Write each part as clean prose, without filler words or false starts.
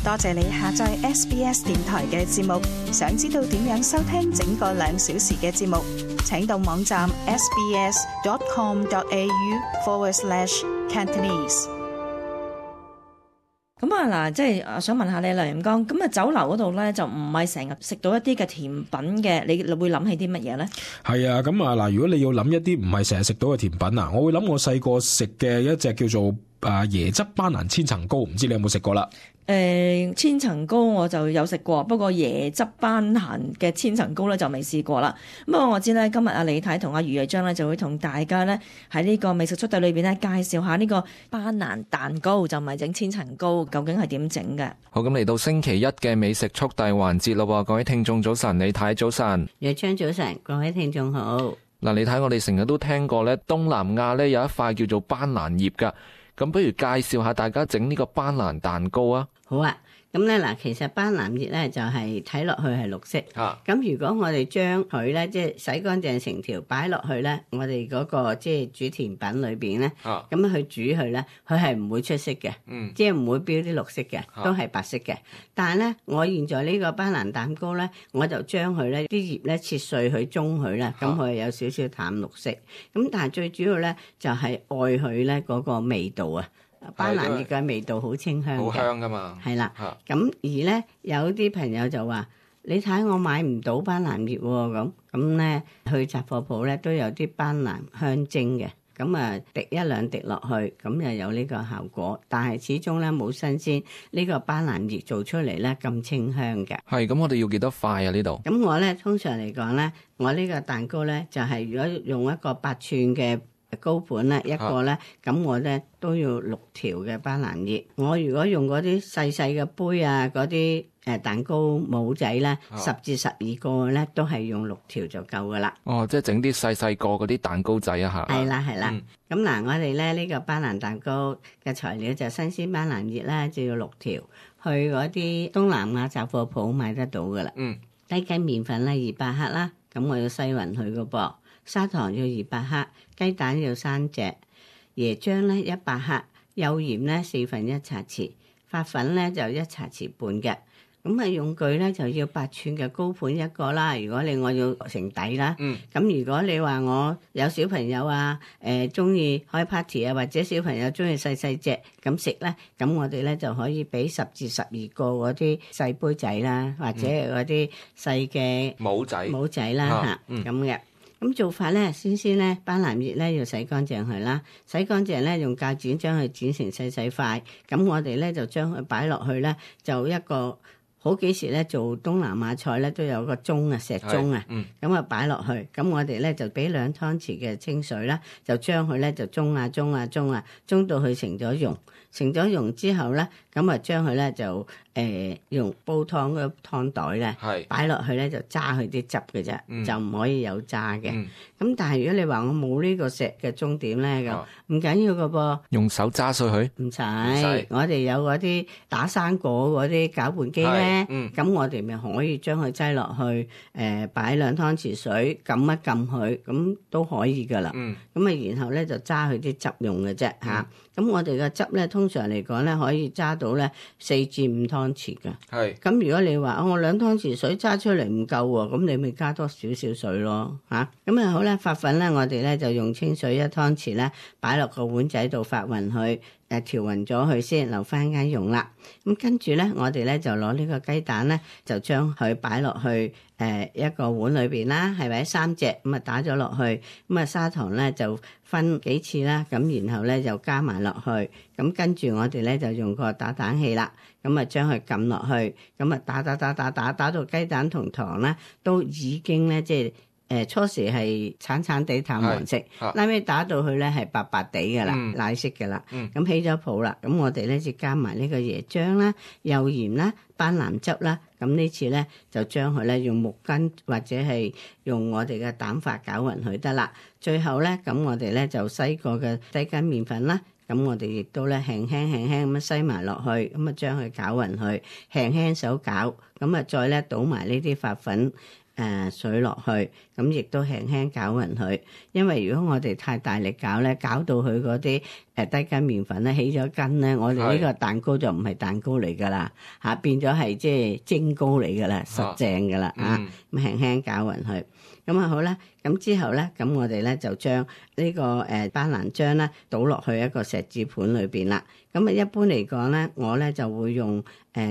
多謝你下載 SBS 電台嘅節目。想知道點樣收聽整個2小時嘅節目，請到網站 sbs.com.au/Cantonese。咁啊嗱，即係想問下你梁焱剛，咁啊酒樓嗰度咧就唔係成日食到一啲嘅甜品嘅，你會諗起啲乜嘢咧？係啊，咁啊嗱，如果你要諗一啲唔係成日食到嘅甜品啊，我會諗我細個食嘅一隻叫做椰汁班蘭千層糕，唔知你有冇食過啦？千層糕我就有食過，不過椰汁班蘭嘅千層糕咧就未試過啦。不過我知咧，今日阿李太同阿余藝章咧就會同大家咧喺呢個美食速遞裏邊咧介紹下呢個班蘭蛋糕，就唔係整千層糕，究竟係點整嘅？好，咁嚟到星期一嘅美食速遞環節咯，各位聽眾早晨，李太早晨，藝章早晨，各位聽眾好。嗱，李太，我哋成日都聽過咧，東南亞咧有一塊叫做班蘭葉噶，咁不如介紹下大家整呢個班蘭蛋糕啊？好啊，咁咧嗱，其實班蘭葉咧就係睇落去係綠色。咁如果我哋將佢咧即係洗乾淨成條擺落去咧，我哋嗰個即係煮甜品裏邊咧，咁樣去煮佢咧，佢係唔會出色嘅，即係唔會標啲綠色嘅，都係白色嘅。但係咧，我現在呢個班蘭蛋糕咧，我就將佢咧啲葉咧切碎佢中佢啦，咁佢有少少淡綠色。咁但係最主要咧就係愛佢咧嗰個味道啊。班蘭葉嘅味道好清香嘅，好香噶嘛。係啦，咁而咧有啲朋友就話：你睇我買唔到班蘭葉喎，咁咧去雜貨鋪咧都有啲班蘭香精嘅，咁啊滴一兩滴落去，咁又有呢個效果。但係始終咧冇新鮮呢個班蘭葉做出嚟咧咁清香嘅。係，咁我哋要幾多塊啊？呢度？咁我咧通常嚟講咧，我呢個蛋糕咧就係如果用一個8寸嘅高盤咧，一個咧，咁我咧都要6條嘅班蘭葉。我如果用嗰啲細細嘅杯啊，嗰啲蛋糕模仔咧，10至12個咧，都係用6條就夠噶啦。哦，即係整啲細細個嗰啲蛋糕仔啊嚇。係啦係啦。咁嗱，我哋咧呢個班蘭蛋糕嘅材料就新鮮班蘭葉咧，就要6條，去嗰啲東南亞雜貨鋪買得到噶啦。低筋麵粉咧200克啦，咁我要篩勻佢個噃。砂糖要200克，雞蛋要3隻，椰漿咧100克，幼鹽咧1/4茶匙，發粉咧就1茶匙半嘅。咁啊用具咧就要8寸嘅高盤一個啦。如果我要成底啦，咁如果你話我有小朋友啊，中意開 party 啊，或者小朋友中意細細隻咁食咧，咁我哋咧就可以俾10至12個嗰啲細杯仔啦，或者嗰啲細嘅帽仔啦嚇咁嘅。咁做法咧，先咧班蘭葉咧要洗乾淨佢啦，洗乾淨咧用鉸剪將佢剪成細細塊，咁我哋咧就將佢擺落去咧，就一個好幾時咧做東南亞菜咧都有個盅啊，石盅啊，咁啊擺落去，咁我哋咧就俾2湯匙嘅清水啦，就將佢咧就舂到佢成咗溶，成咗溶之後咧，咁啊將佢咧就用煲湯嗰湯袋咧，擺落去咧就揸佢啲汁嘅啫，就唔可以有渣嘅。咁但係如果你話我冇呢個石嘅盅點咧，咁唔緊要嘅噃，用手揸碎佢？唔使，我哋有嗰啲打生果嗰啲攪拌機咧，咁我哋咪可以將佢擠落去，擺2湯匙水，撳一撳佢，咁都可以噶啦。咁啊，然後咧就揸佢啲汁用嘅啫嚇。咁我哋嘅汁咧，通常嚟講咧，可以揸到咧4至5湯匙嘅。咁如果你話我2湯匙水揸出嚟唔夠喎，咁你咪加多少少水咯嚇。咁啊好啦，發粉咧，我哋咧就用清水1湯匙咧，擺落個碗仔度發勻佢，調勻咗佢先，留翻間用啦。咁跟住咧，我哋咧就攞呢個雞蛋咧，就將佢擺落去一個碗裏邊啦，係咪3隻咁啊打咗落去，咁啊砂糖咧就分幾次啦，咁然後咧就加埋落去，咁跟住我哋咧就用個打蛋器啦，咁啊將佢撳落去，咁啊打到雞蛋同糖咧都已經咧即係初時係橙地淡黃色，拉尾打到去咧係白白地嘅啦，奶色嘅啦，咁起咗泡啦，咁我哋咧就加埋呢個椰漿啦、幼鹽啦、班蘭汁啦，咁呢次咧就將佢咧用木棍或者係用我哋嘅蛋發攪勻佢得啦。最後咧，咁我哋咧就篩過嘅低筋麵粉啦，咁我哋亦都咧輕輕咁樣篩埋落去，咁啊將佢攪勻佢，輕輕手攪，咁啊再咧倒埋呢啲發粉。水落去，咁亦都輕輕攪勻佢。因為如果我哋太大力攪咧，攪到佢嗰啲低筋麵粉咧起咗筋咧，我哋呢個蛋糕就唔係蛋糕嚟㗎啦嚇，變咗係即係蒸糕嚟㗎啦，實正㗎啦嚇。咁輕輕攪勻佢，咁啊好啦。咁之後咧，咁我哋咧就將呢個班蘭漿咧倒落去一個錫紙盤裏邊啦。咁啊一般嚟講咧，我咧就會用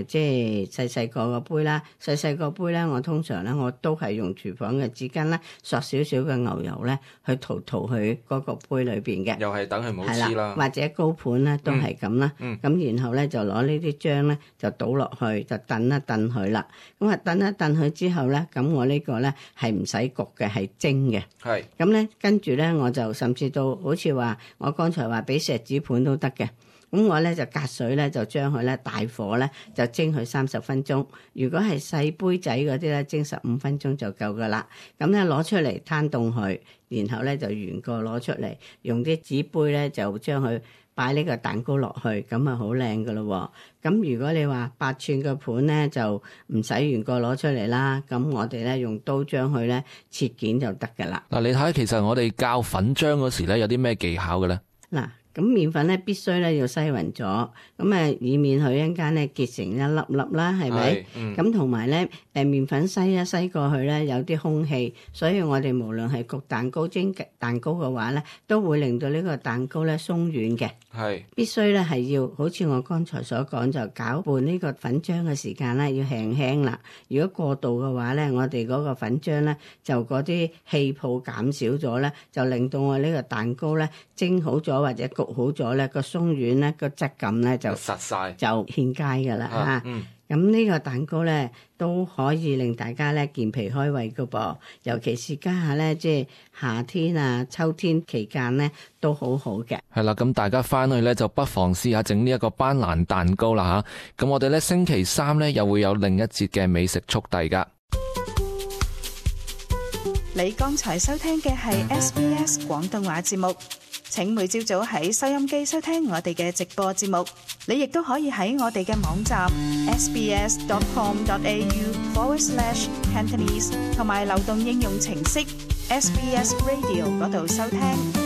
即係細細個杯啦，細細個杯咧，我通常咧我都係用廚房嘅紙巾咧，索少少嘅牛油咧去塗去嗰個杯裏邊嘅。又係等佢冇黐啦。或者高盤咧都係咁啦。咁然後咧就攞呢啲漿咧就倒落去，就燉一燉佢啦。咁啊燉一燉佢之後咧，咁我呢個咧係唔使焗嘅，係蒸嘅。係。咁咧跟住咧我就甚至到好似話我剛才話俾錫紙盤都得嘅。咁我咧就隔水咧就將佢咧大火咧就蒸佢30分鐘。如果係細杯仔嗰啲咧，蒸15分鐘就夠噶啦。咁咧攞出嚟攤凍佢，然後咧就原個攞出嚟，用啲紙杯咧就將佢擺呢個蛋糕落去，咁啊好靚噶咯。咁如果你話8寸嘅盤咧，就唔使原個攞出嚟啦。咁我哋咧用刀將佢咧切件就得噶啦。嗱，你睇其實我哋較粉漿嗰時咧有啲咩技巧嘅咧？嗱。咁麵粉咧必須咧要篩勻咗，咁以免佢一陣間咧結成一粒粒啦，係咪？咁同埋咧麵粉篩一篩過去咧有啲空氣，所以我哋無論係焗蛋糕、蒸蛋糕嘅話咧，都會令到呢個蛋糕咧鬆軟嘅。係必須咧係要好似我剛才所講，就攪拌呢個粉漿嘅時間咧要輕輕啦。如果過度嘅話咧，我哋嗰個粉漿咧就嗰啲氣泡減少咗咧，就令到我呢個蛋糕咧蒸好咗或者焗好咗咧，個鬆軟咧個質感咧就實晒，就獻佳噶啦嚇。咁呢個蛋糕咧都可以令大家咧健脾開胃噶噃，尤其是家下咧即係夏天啊、秋天期間咧都好好嘅。係啦，咁大家翻去咧就不妨試下整呢一個班蘭蛋糕啦嚇。咁我哋咧星期3咧又會有另一節嘅美食速遞噶。你剛才收聽嘅係 SBS 廣東話節目。請每朝早喺收音機收聽我哋嘅直播節目，你亦都可以喺我哋嘅網站 sbs.com.au/Cantonese 同埋流動應用程式 SBS Radio 嗰度收聽。